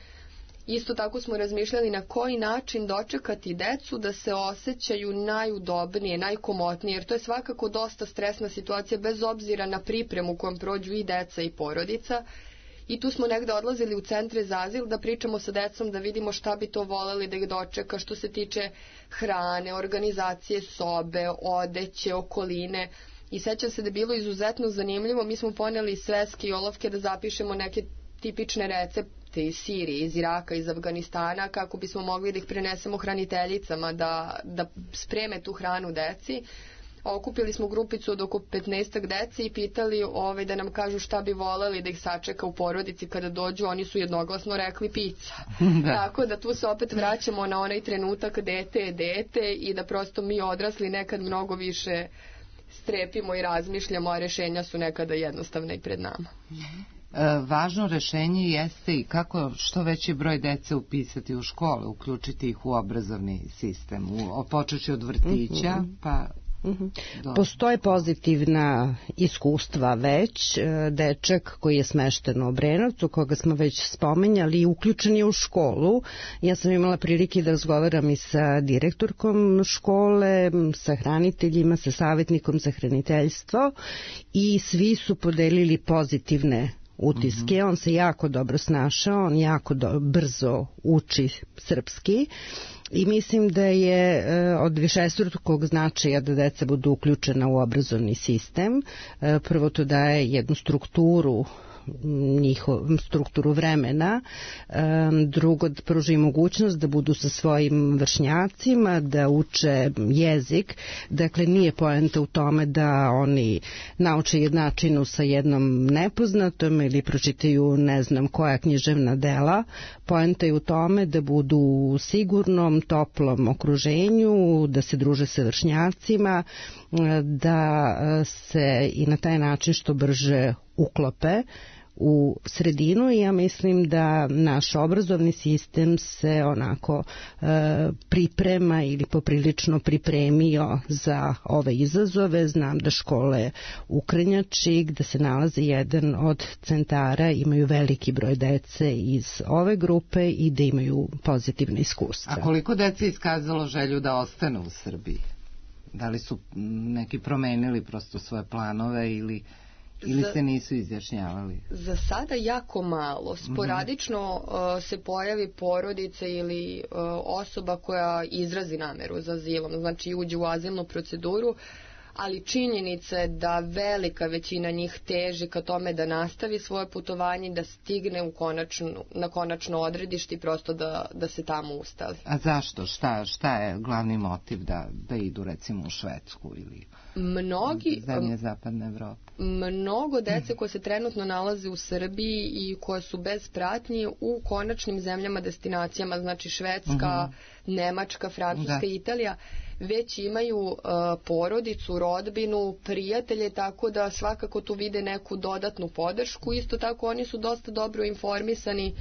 Isto tako smo razmišljali na koji način dočekati decu da se osjećaju najudobnije, najkomotnije, jer to je svakako dosta stresna situacija bez obzira na pripremu kojom prođu i deca i porodica. I tu smo negde odlazili u centre za azil da pričamo sa decom, da vidimo šta bi to voleli da ih dočeka što se tiče hrane, organizacije sobe, odeće, okoline. I sećam se da je bilo izuzetno zanimljivo, mi smo poneli sveske i olovke da zapišemo neke tipične recepte iz Sirije, iz Iraka, iz Afganistana, kako bismo mogli da ih prenesemo hraniteljicama da, da spreme tu hranu deci. Okupili smo grupicu od oko petnaestak dece i pitali ove, da nam kažu šta bi voleli da ih sačeka u porodici kada dođu. Oni su jednoglasno rekli pizza. Da. Tako da tu se opet vraćamo na onaj trenutak dete je dete i da prosto mi odrasli nekad mnogo više strepimo i razmišljamo, a rešenja su nekada jednostavna i pred nama. E, važno rešenje jeste i kako što veći broj dece upisati u škole, uključiti ih u obrazovni sistem, u, počeći od vrtića, mm-hmm. pa... Do... Postoje pozitivna iskustva već. Dečak koji je smešten u Obrenovcu, koga smo već spomenjali, uključen je u školu. Ja sam imala prilike da razgovaram i sa direktorkom škole, sa hraniteljima, sa savjetnikom za hraniteljstvo i svi su podelili pozitivne utiske. Mm-hmm. On se jako dobro snašao, on jako do, brzo uči srpski. I mislim da je e, od višestrukog značaja da deca budu uključena u obrazovni sistem. E, prvo to daje jednu strukturu njihov, strukturu vremena, drugo da pruži mogućnost da budu sa svojim vršnjacima, da uče jezik, dakle nije poenta u tome da oni nauče jednačinu sa jednom nepoznatom ili pročitaju ne znam koja književna dela, poenta je u tome da budu u sigurnom, toplom okruženju, da se druže sa vršnjacima, da se i na taj način što brže uklope u sredinu i ja mislim da naš obrazovni sistem se onako e, priprema ili poprilično pripremio za ove izazove. Znam da škole u Krnjači, gde se nalazi jedan od centara, imaju veliki broj dece iz ove grupe i da imaju pozitivne iskustva. A koliko dece iskazalo želju da ostane u Srbiji? Da li su neki promenili prosto svoje planove ili Ili se nisu izjašnjavali? Za sada jako malo. Sporadično uh, se pojavi porodice ili uh, osoba koja izrazi nameru za azilom, znači uđe u azilnu proceduru, ali činjenica je da velika većina njih teži ka tome da nastavi svoje putovanje, da stigne u konačnu, na konačno odredište i prosto da, da se tamo ustali. A zašto? Šta, šta je glavni motiv da, da idu recimo u Švedsku ili Mnogi, zemlje zapadne Evrope? Mnogo dece koje se trenutno nalaze u Srbiji i koje su bez pratnje u konačnim zemljama destinacijama, znači Švedska, uh-huh. Nemačka, Francuska i Italija, već imaju uh, porodicu, rodbinu, prijatelje, tako da svakako tu vide neku dodatnu podršku. Isto tako oni su dosta dobro informisani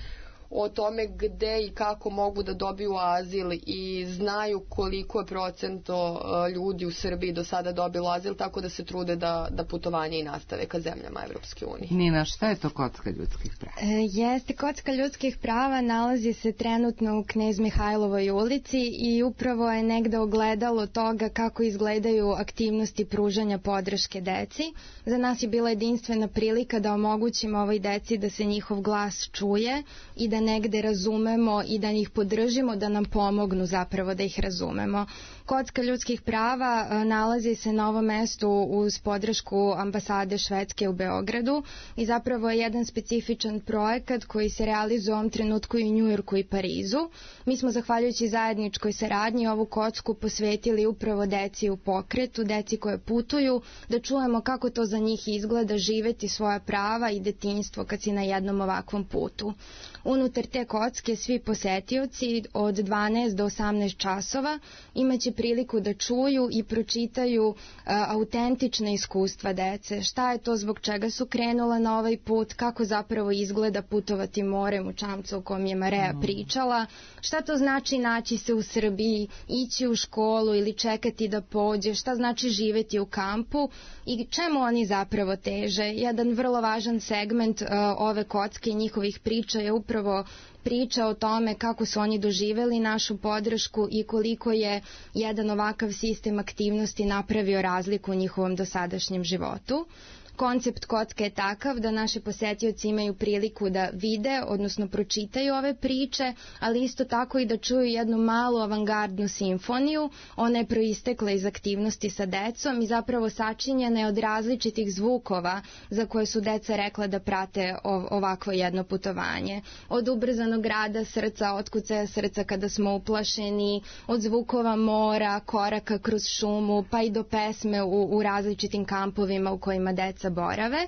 o tome gde i kako mogu da dobiju azil i znaju koliko je procento ljudi u Srbiji do sada dobilo azil, tako da se trude da, da putovanje i nastave ka zemljama Evropske unije. Nina, šta je to kocka ljudskih prava? E, jeste, kocka ljudskih prava nalazi se trenutno u Knez Mihajlovoj ulici i upravo je negde ogledalo toga kako izgledaju aktivnosti pružanja podrške deci. Za nas je bila jedinstvena prilika da omogućimo ovoj deci da se njihov glas čuje i da negde razumemo i da ih podržimo, da nam pomognu zapravo da ih razumemo. Kocka ljudskih prava nalazi se na ovom mestu uz podršku ambasade Švedske u Beogradu i zapravo je jedan specifičan projekat koji se realizuje u ovom trenutku i u Njujorku i Parizu. Mi smo zahvaljujući zajedničkoj saradnji ovu kocku posvetili upravo deci u pokretu, deci koje putuju, da čujemo kako to za njih izgleda živeti svoja prava i detinjstvo kad si na jednom ovakvom putu. Unutar te kocke svi posetioci od dvanaest do osamnaest časova imaće priliku da čuju i pročitaju a, autentične iskustva dece. Šta je to zbog čega su krenula na ovaj put, kako zapravo izgleda putovati morem u čamcu o kom je Mareja pričala, šta to znači naći se u Srbiji, ići u školu ili čekati da pođe, šta znači živeti u kampu i čemu oni zapravo teže. Jedan vrlo važan segment a, ove kocke i njihovih priča je upravo priča o tome kako su oni doživeli našu podršku i koliko je jedan ovakav sistem aktivnosti napravio razliku u njihovom dosadašnjem životu. Koncept kocke je takav da naši posetioci imaju priliku da vide, odnosno pročitaju ove priče, ali isto tako i da čuju jednu malu avangardnu simfoniju. Ona je proistekla iz aktivnosti sa decom i zapravo sačinjena je od različitih zvukova za koje su deca rekla da prate ovakvo jedno putovanje. Od ubrzanog rada srca, otkucaja srca kada smo uplašeni, od zvukova mora, koraka kroz šumu, pa i do pesme u, u različitim kampovima u kojima deca borave.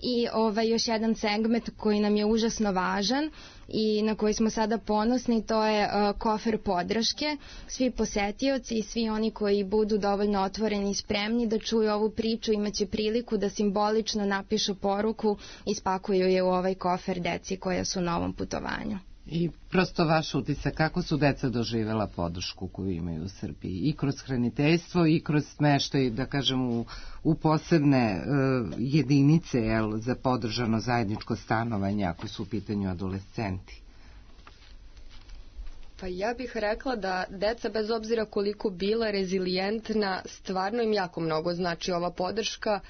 I ovaj, još jedan segment koji nam je užasno važan i na koji smo sada ponosni, to je uh, kofer podrške. Svi posetioci i svi oni koji budu dovoljno otvoreni i spremni da čuju ovu priču imaće priliku da simbolično napišu poruku i spakuju je u ovaj kofer deci koja su na ovom putovanju. I prosto vaš utisak, kako su deca doživjela podršku koju imaju u Srbiji i kroz hraniteljstvo i kroz smeštaj, da kažem, u, u posebne uh, jedinice jel, za podržano zajedničko stanovanje ako su u pitanju adolescenti? Pa ja bih rekla da deca, bez obzira koliko bila rezilijentna, stvarno im jako mnogo znači ova podrška.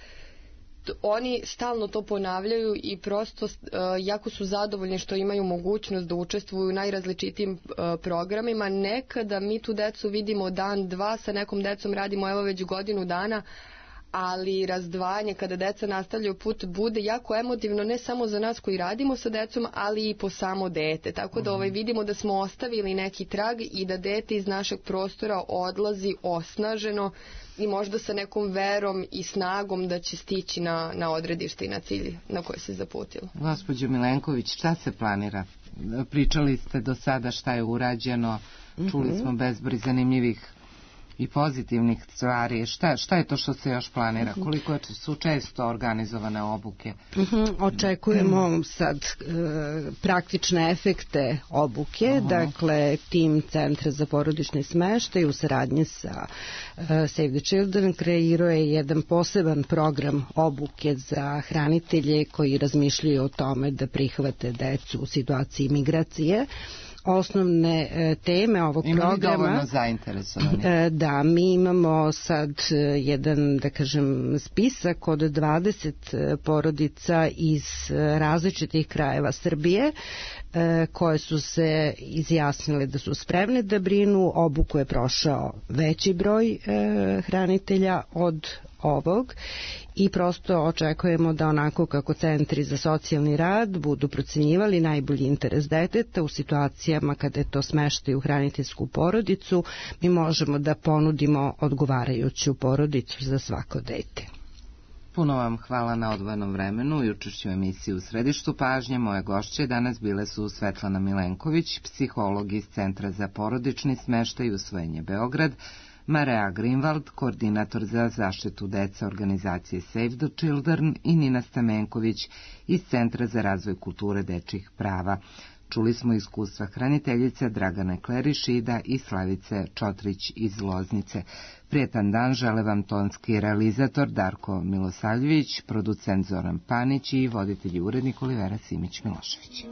Oni stalno to ponavljaju i prosto uh, jako su zadovoljni što imaju mogućnost da učestvuju u najrazličitijim uh, programima. Nekada mi tu decu vidimo dan, dva, sa nekom decom radimo evo već godinu dana, ali razdvajanje kada deca nastavljaju put bude jako emotivno, ne samo za nas koji radimo sa decom, ali i po samo dete. Tako da ovaj, vidimo da smo ostavili neki trag i da dete iz našeg prostora odlazi osnaženo i možda sa nekom verom i snagom da će stići na, na odredište i na cilj na koje se zaputilo. Gospođo Milenković, šta se planira? Pričali ste do sada šta je urađeno, čuli mm-hmm. smo bezbroj zanimljivih i pozitivnih stvari. Šta, šta je to što se još planira? Koliko su često organizovane obuke? Uh-huh. Očekujemo sad e, praktične efekte obuke. Uh-huh. Dakle, tim Centra za porodični smeštaj u saradnji sa e, Save the Children kreirao je jedan poseban program obuke za hranitelje koji razmišljaju o tome da prihvate decu u situaciji migracije. osnovne e, teme ovog Ima programa. Ima li dovoljno zainteresovani? E, da, mi imamo sad jedan, da kažem, spisak od dvadeset porodica iz različitih krajeva Srbije e, koje su se izjasnile da su spremne da brinu. Obuku je prošao veći broj e, hranitelja od ovog i prosto očekujemo da onako kako centri za socijalni rad budu procenjivali najbolji interes deteta u situacijama kada je to smeštaj u hraniteljsku porodicu, mi možemo da ponudimo odgovarajuću porodicu za svako dete. Puno vam hvala na odvojenom vremenu i učešću u emisiji U središtu pažnje. Moje gošće danas bile su Svetlana Milenković, psiholog iz Centra za porodični smeštaj i usvojenje Beograd, Marea Greenwald, koordinator za zaštitu dece organizacije Save the Children i Nina Stamenković iz Centra za razvoj kulture dečjih prava. Čuli smo iskustva hraniteljice Dragane Klerišida i Slavice Čotrić iz Loznice. Prijetan dan žele vam tonski realizator Darko Milosavljević, producent Zoran Panić i voditelj i urednik Olivera Simić-Milošević.